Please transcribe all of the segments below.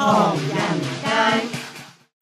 唐人街。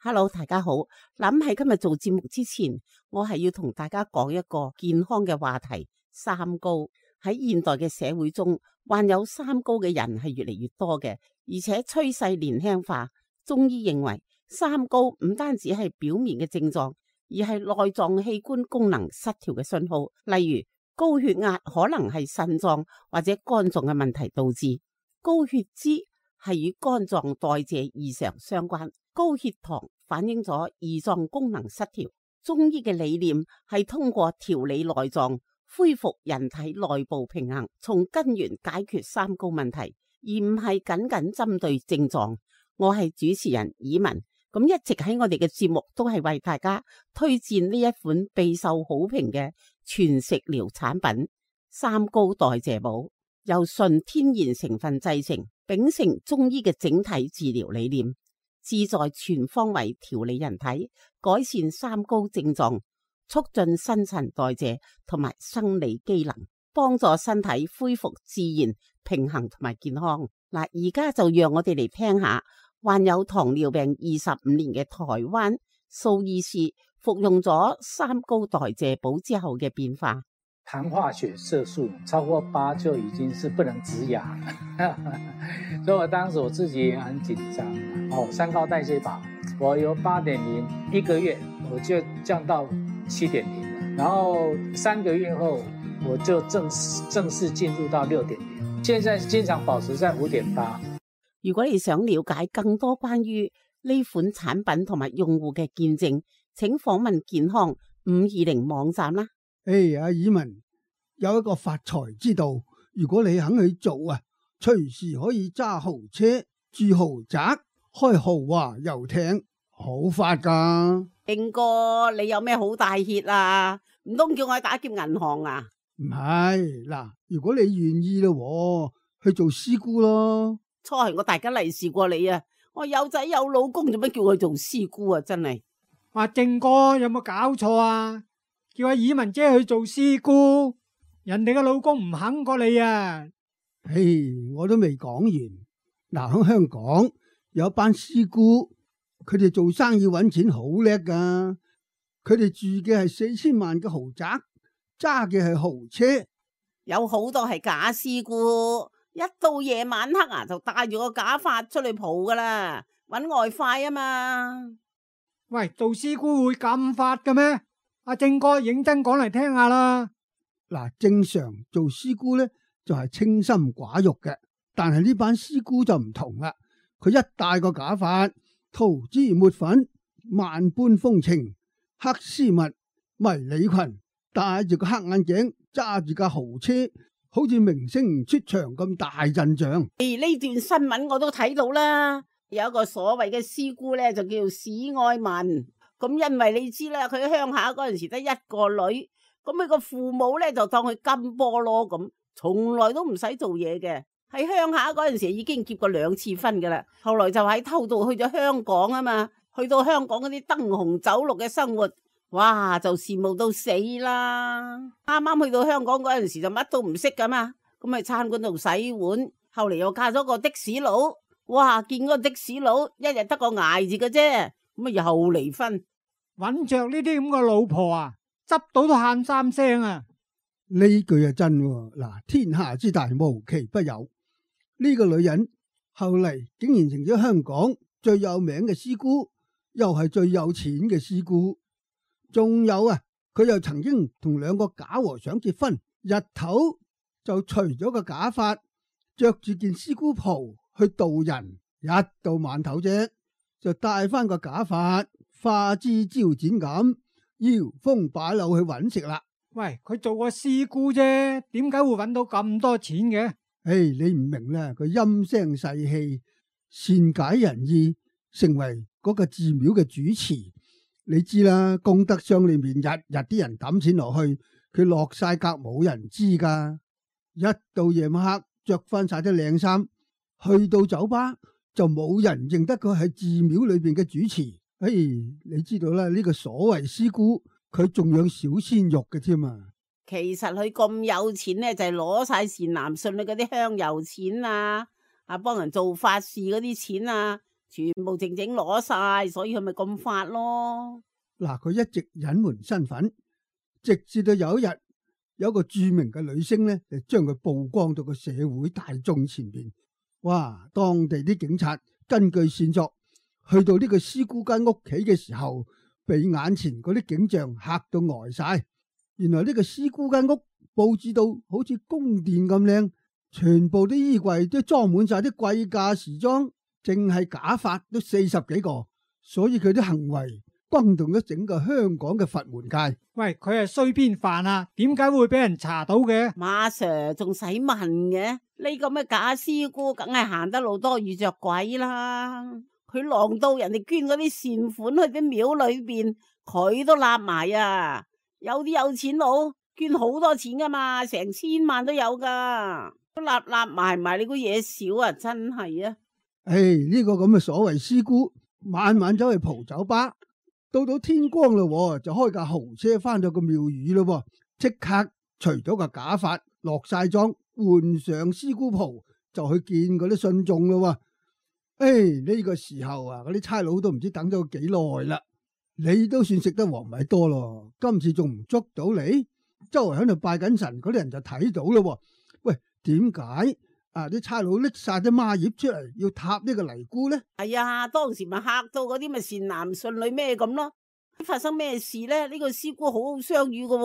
Hello， 大家好。諗喺今日做節目之前，我係要同大家講一個健康嘅話題。三高喺現代嘅社會中，患有三高嘅人係越嚟越多嘅，而且趨勢年輕化。中醫認為，三高唔單止係表面嘅症狀，而係內臟器官功能失調嘅信號。例如高血壓可能係腎臟或者肝臟嘅問題導致，高血脂係與肝臟代謝異常相關，高血糖反映咗胰臟功能失調。中醫嘅理念係通過調理內臟，恢復人體內部平衡，從根源解決三高問題，而唔係僅僅針對症狀。我係主持人以文，咁一直喺我哋嘅節目都係為大家推薦呢一款備受好評嘅全食療產品三高代謝寶，由純天然成分製成，秉承中醫嘅整體治療理念，旨在全方位調理人體，改善三高症狀，促進新陳代謝同埋生理機能，幫助身體恢復自然平衡同埋健康。嗱，而家就讓我哋嚟聽下患有糖尿病25年嘅台灣蘇醫師服用咗三高代謝寶之後嘅變化。糖化血色素超過8就已經是不能止癢了所以我當時我自己也很緊張。三高代謝寶，我由8.0一個月我就降到7.0了，然後3個月後我就正式進入到6.0，現在經常保持在5.8。如果你想了解更多關於呢款產品同埋用戶嘅見證，請訪問健康520網站啦。阿以文有一個發財之道，如果你肯去做啊，隨時可以揸豪車、住豪宅、開豪華遊艇，好發噶。應哥，你有咩好大歇啊？唔通叫我去打劫銀行啊？唔係，嗱，如果你願意咯，去做師姑咯。初係我大家利是過你啊！我有仔有老公，做乜叫佢做師姑啊？真係，話正哥有冇搞錯啊？叫阿以文姐去做師姑，人哋嘅老公唔肯過你啊！我都未講完。嗱，喺香港有一班師姑，佢哋做生意搵錢好叻噶。佢哋住嘅係4000萬嘅豪宅，揸嘅係豪車，有好多係假師姑。一到夜晚黑啊，就帶住個假髮出去蒲噶啦，搵外快啊嘛。喂，做師姑會咁發嘅咩？阿正哥認真講嚟聽下啦。嗱，正常做師姑咧就係清心寡欲嘅，但係呢班師姑就唔同啦。佢一戴個假髮，塗脂抹粉，萬般風情，黑絲襪、迷你裙，戴住個黑眼鏡，揸住架豪車，好似明星出場咁大陣仗。呢段新聞我都睇到啦，有一個所謂嘅師姑咧就叫史愛文。咁因為你知啦，佢喺鄉下嗰陣時得一個女，咁佢個父母咧就當佢金菠蘿咁，從來都唔使做嘢嘅。喺鄉下嗰陣時已經結過2次婚噶啦，後來就喺偷渡去咗香港啊嘛，去到香港嗰啲燈紅酒綠嘅生活，哇就羨慕到死啦！啱啱去到香港嗰陣時就乜都唔識噶嘛，咁喺餐館度洗碗，後嚟又嫁咗個的士佬，哇見嗰個的士佬一日得個捱字嘅啫，咁啊又離婚。搵着呢啲咁嘅老婆啊，執到都喊3聲啊！呢句啊真喎，嗱，天下之大無奇不有。呢個女人後嚟竟然成咗香港最有名嘅師姑，又係最有錢嘅師姑。仲有啊，佢又曾經同2個假和尚結婚，日頭就除咗個假髮，着住件師姑袍去渡人，一到晚頭啫就戴翻個假髮，花枝招展咁，搖風擺柳去搵食啦。喂，佢做個師姑啫，點解會搵到咁多錢嘅？你唔明啦，佢陰聲細氣，善解人意，成為嗰個寺廟嘅主持。你知啦，功德箱裏面日日啲人抌錢落去，佢落晒格冇人知噶。一到夜晚黑，着翻晒啲靚衫，去到酒吧就冇人認得佢係寺廟裏邊嘅主持。你知道啦，呢個所謂師姑，佢仲養小鮮肉嘅添啊！其實佢咁有錢咧，就係攞晒善男信女嗰啲香油錢啊，幫人做法事嗰啲錢啊，全部靜靜攞晒，所以佢咪咁發咯。嗱，佢一直隱瞞身份，直至到有一日，有一個著名嘅女星咧，就將佢曝光到個社會大眾前邊。哇！當地啲警察根據線索去到呢個師姑間屋企嘅時候，被眼前嗰啲景象嚇到呆晒。原來呢個師姑間屋佈置到好似宮殿咁靚，全部啲衣櫃都裝滿晒啲貴價時裝，淨係假髮都40幾個，所以佢啲行為轟動咗整個香港嘅佛門界。喂，佢係衰邊範啊？點解會俾人查到嘅？馬 Sir 仲使問嘅？呢咁嘅假師姑梗係行得路多遇着鬼啦！佢狼到人哋捐嗰啲善款去啲廟裏邊，佢都立埋啊！有啲有錢佬捐好多錢噶嘛，成1000萬都有噶，都立埋，你估嘢少啊？真係啊！呢個咁嘅所謂師姑，晚晚走去蒲酒吧，到天光啦，就開架豪車翻到個廟宇咯，即刻除咗個假髮，落晒妝，換上師姑袍，就去見嗰啲信眾咯。呢個時候啊，嗰啲差佬都唔知等咗幾耐啦。你都算食得黃米多咯，今次仲唔捉到你？周圍喺度拜緊神嗰啲人就睇到咯。喂，點解啲差佬拎晒啲孖葉出嚟要踏呢個尼姑呢？係啊，當時咪嚇到嗰啲咪善男信女咩咁咯。發生咩事呢？呢個師姑好好相與噶，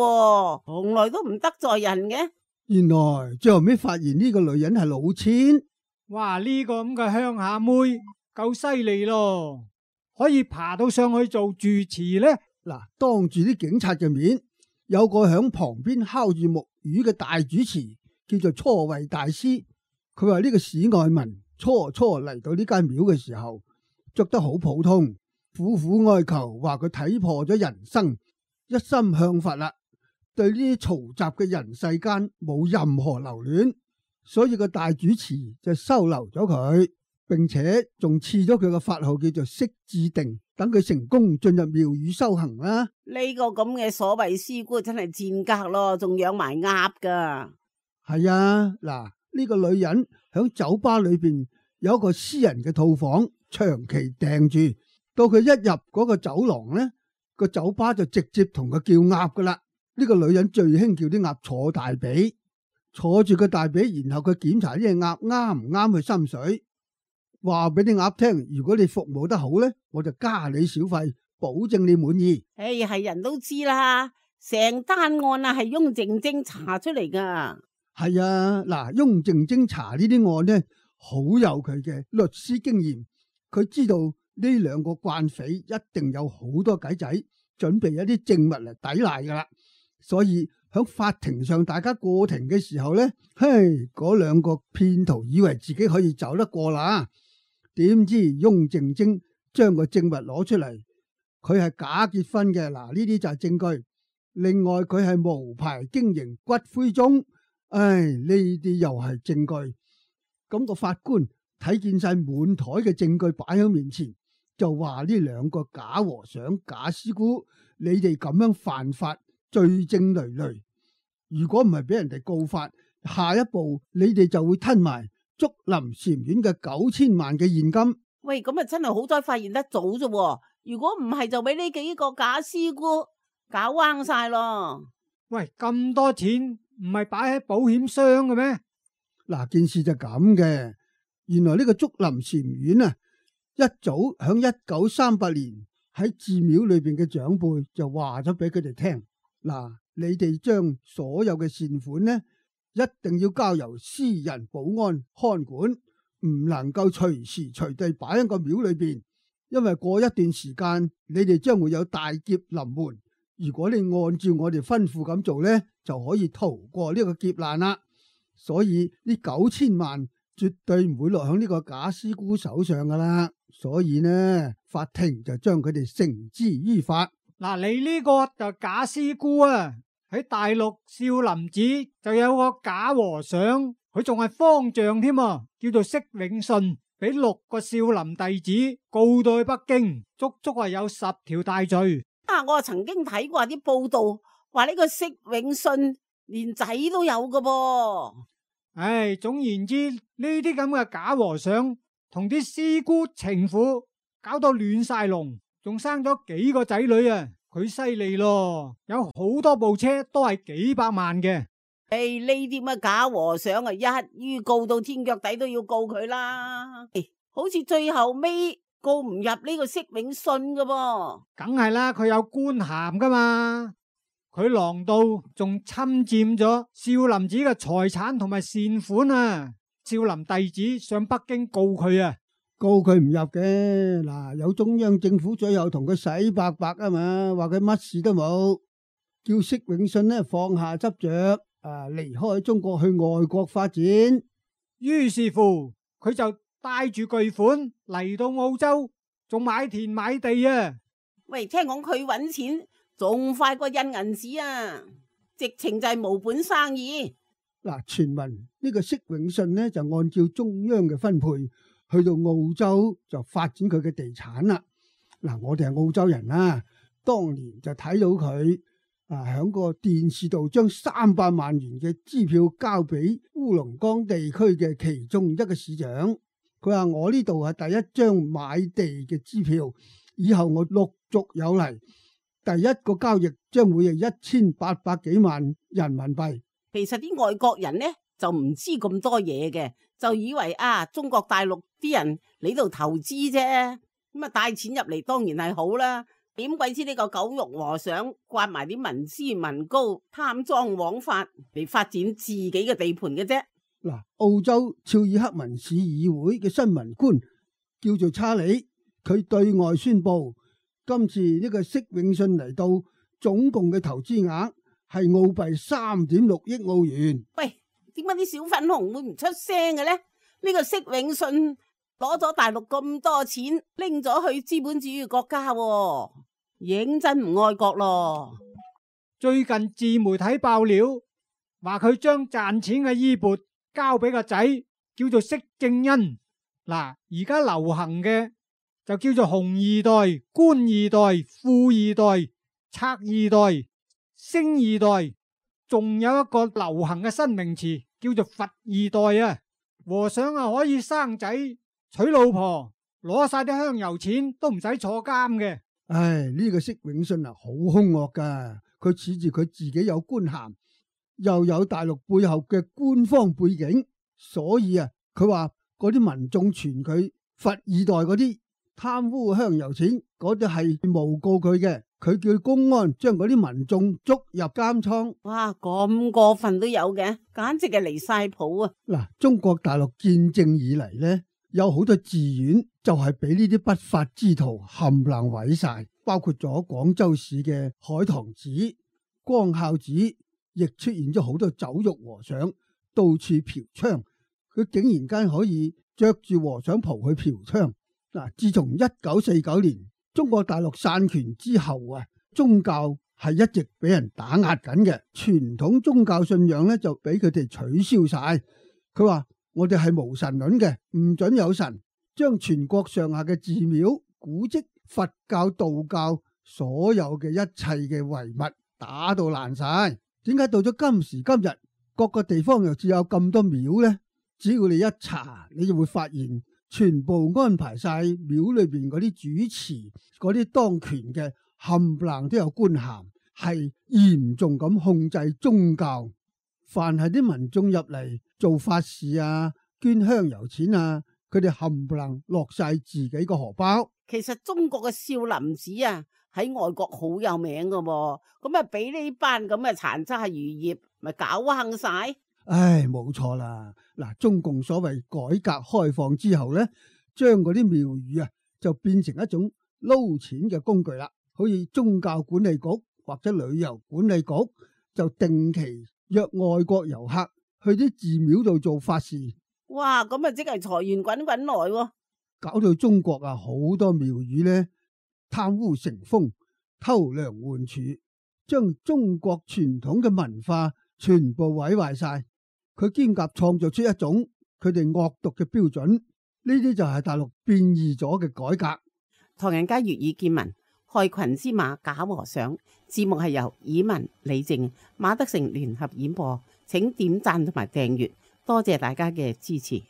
從來都唔得罪人嘅。原來最後尾發現呢個女人係老千。哇！呢個咁嘅鄉下妹夠犀利咯，可以爬到上去做住持呢。嗱，當住啲警察嘅面，有個響旁邊敲住木魚嘅大主持，叫做初慧大師。佢話呢個市外民初嚟到呢間廟嘅時候，着得好普通，苦苦哀求，話佢睇破咗人生，一心向佛啦，對呢啲嘈雜嘅人世間冇任何留戀。所以個大主持就收留咗佢，並且仲賜咗佢個法號叫做釋智定，等佢成功進入廟宇修行啦。呢個咁嘅所謂師姑真係賤格咯，仲養埋鴨噶。係啊，嗱，呢個女人響酒吧裏邊有一個私人嘅套房，長期訂住。到佢一入嗰個走廊呢，個酒吧就直接同佢叫鴨噶啦。呢個女人最興叫啲鴨坐大髀。坐住個大髀，然後佢檢查呢隻鴨啱唔啱佢心水，話俾啲鴨聽，如果你服務得好呢，我就加你小費，保證你滿意。係人都知啦，成單案啊係翁靜晶查出嚟噶。係啊，嗱，翁靜晶查呢啲案呢，好有佢嘅律師經驗，佢知道呢兩個慣匪一定有好多計仔，準備一啲證物嚟抵賴噶啦，所以喺法庭上，大家過庭嘅時候呢，嗰兩個騙徒以為自己可以走得過啦，點知翁靜晶將個證物攞出嚟，佢係假結婚嘅，嗱，呢啲就係證據。另外佢係無牌經營骨灰盅，呢啲又係證據。咁個法官睇見晒滿台嘅證據擺喺面前，就話呢兩個假和尚、假師姑，你哋咁樣犯法，罪證累累。如果唔係俾人哋告發，下一步你哋就會吞埋竹林禪院嘅9000萬嘅現金。喂，咁啊真係好彩發現得早啫。如果唔係就俾呢幾個假師姑搞彎晒咯。喂，咁多錢唔係擺喺保險箱嘅咩？嗱，件事就咁嘅。原來呢個竹林禪院啊，一早響1938年喺寺廟裏邊嘅長輩就話咗俾佢哋聽，嗱，你哋將所有嘅善款呢，一定要交由私人保安看管，唔能夠隨時隨地擺喺個廟裏邊，因為過一段時間你哋將會有大劫臨門。如果你按照我哋吩咐咁做呢，就可以逃過呢個劫難啦。所以呢9000萬絕對唔會落響呢個假師姑手上噶啦。所以呢，法庭就將佢哋繩之於法。嗱，你呢個就假師姑啊！喺大陸少林寺就有個假和尚，佢仲係方丈添啊，叫做釋永信，俾6個少林弟子告到去北京，足足係有10條大罪。我曾經睇過啲報道，話呢個釋永信連仔都有噶噃。總言之，呢啲咁嘅假和尚同啲師姑情婦搞到亂晒龍，仲生咗幾個仔女啊！佢犀利咯，有好多部車都係幾百萬嘅。呢啲乜假和尚啊，一於告到天腳底都要告佢啦。好似最後尾告唔入呢個釋永信噶噃。梗係啦，佢有官銜噶嘛。佢狼道仲侵佔咗少林寺嘅財產同埋善款啊！少林弟子上北京告佢啊，告佢唔入嘅。嗱，有中央政府最後同佢洗白白啊嘛，話佢乜事都冇，叫釋永信呢放下執着，離開中國去外國發展。於是乎佢就帶住巨款嚟到澳洲，仲買田買地啊！喂，聽講佢搵錢仲快過印銀紙啊，直情就係無本生意。嗱，傳聞呢個釋永信呢就按照中央嘅分配去到澳洲就發展佢嘅地產啦。嗱，我哋係澳洲人啦，當年就睇到佢響個電視度將300萬元嘅支票交俾烏龍崗地區嘅其中一個市長。佢話我呢度係第一張買地嘅支票，以後我陸續有嚟，第一個交易將會係1800幾萬人民幣。其實啲外國人呢就唔知咁多嘢嘅，就以為中國大陸啲人嚟度投資啫，咁啊帶錢入嚟當然係好啦。點鬼知呢個狗肉和尚刮埋啲民脂民膏，貪贓枉法嚟發展自己嘅地盤嘅啫。嗱，澳洲肖爾克文市議會嘅新聞官叫做查理，佢對外宣布今次呢個釋永信嚟到總共嘅投資額係澳幣3.6億澳元。喂，點解啲小粉紅會唔出聲嘅呢？呢個釋永信攞咗大陸咁多錢，拎咗去資本主義國家，認真唔愛國咯。最近自媒體爆料，話佢將賺錢嘅衣缽交俾個仔，叫做釋正恩。嗱，而家流行嘅就叫做紅二代、官二代、富二代、賊二代、星二代，仲有一個流行嘅新名詞叫做佛二代啊！和尚可以生仔、娶老婆，攞晒啲香油錢都唔使坐監嘅。唉，呢個釋永信好兇惡噶，佢恃住佢自己有官銜，又有大陸背後嘅官方背景，所以佢話嗰啲民眾傳佢佛二代嗰啲貪污香油錢，嗰啲係誣告佢嘅，佢叫公安將嗰啲民眾捉入監倉。哇，咁過分都有嘅，簡直係離晒譜啊！嗱，中國大陸建政以嚟呢，有好多寺院就係俾呢啲不法之徒冚唪唥毀晒，包括咗廣州市嘅海棠寺、光孝寺，亦出現咗好多酒肉和尚到處嫖娼。佢竟然間可以着住和尚袍去嫖娼。嗱，自從1949年中國大陸散權之後宗教係一直俾人打壓緊嘅，傳統宗教信仰咧就俾佢哋取消晒。佢話我哋係無神論嘅，唔准有神，將全國上下嘅寺廟、古蹟、佛教、道教所有嘅一切嘅遺物打到爛晒。點解到咗今時今日，各個地方又只有咁多廟呢？只要你一查，你就會發現全部安排晒廟裏邊嗰啲主持、嗰啲當權嘅冚唪唥都有官銜，係嚴重咁控制宗教。凡係啲民眾入嚟做法事捐香油錢佢哋冚唪唥落晒自己個荷包。其實中國嘅少林寺喺外國好有名噶，咁俾呢班咁嘅殘渣餘孽咪搞坑晒。唉，冇錯啦。嗱，中共所謂改革開放之後呢，將嗰啲廟宇就變成一種撈錢嘅工具啦。好似宗教管理局或者旅遊管理局就定期約外國遊客去啲寺廟度做法事。哇，咁即係財源滾滾來，搞到中國好多廟宇呢貪污成風，偷梁換柱，將中國傳統嘅文化全部毀壞晒。佢兼夾創造出一種佢哋惡毒嘅標準，呢啲就係大陸變異咗嘅改革。唐人街粵語見聞，害群之馬假和尚。節目係由以文、李靜、馬德成聯合演播，請點讚同埋訂閱，多謝大家嘅支持。